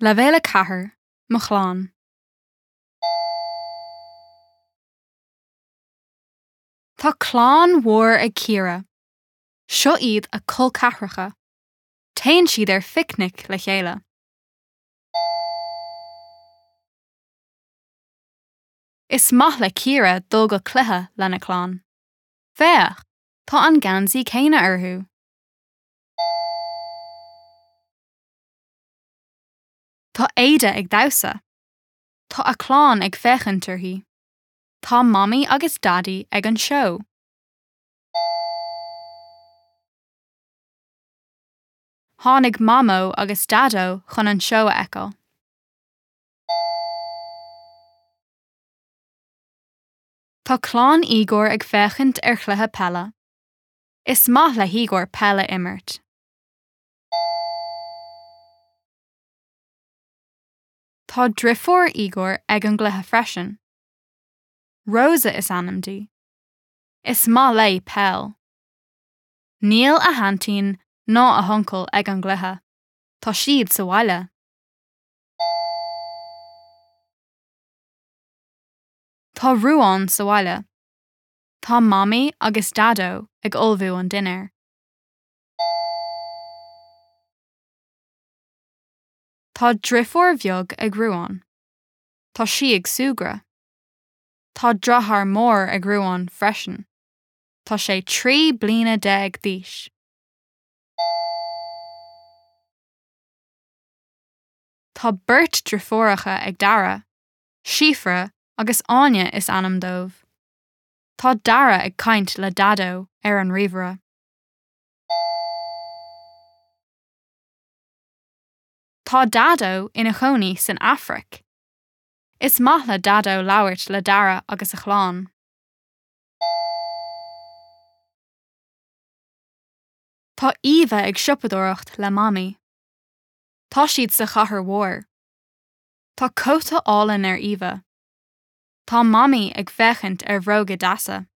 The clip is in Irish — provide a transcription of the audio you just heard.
Leibhéal 4, Mo chlann. Tá clann mhór ag Ciara. Seo iad a col ceathracha. Téann siad ar phicnic le chéile. Is maith le Ciara dul go cluiche lena clann. Féach, tá an geansaí céanna orthu! Tá Ada ag damhsa. Tá a clann ag féachaint uirthi. Tá Mamaí agus Daidí ag an seó. Tháinig Mamó agus Daideo chun an seó a fheiceáil. Tá clann Igor ag féachaint ar chluiche peile. Is maith le hIgor peil a imirt. Tá driofúr Igor ag an gcluiche freisin. Rosa is ainm di. Is maith léi peil. Níl a haintín ná a huncail ag an gcluiche. Tá siad sa bhaile. Tá Ruán sa bhaile. Tá Mamaí agus Daideo ag ullmhú an dinnéir. Tá driofúr bheag ag Ruán. Tá sí ag súgradh. Tá deartháir mór ag Ruán freisin. Tá sé 13 bliana d'aois. Tá beirt driofúracha ag Dara, Síofra agus Áine is ainm dóibh. Tá Dara ag caint le Daideo ar an ríomhaire. Tá Daideo ina chónaí san Afraic. Is maith le Daideo labhairt le Dara agus a chlann. Tá Eva ag siopadóireacht le Mamaí. Tá siad sa chathair mhór. Tá cóta álainn ar Eva. Tá Mamaí ag féachaint ar bhróga deasa.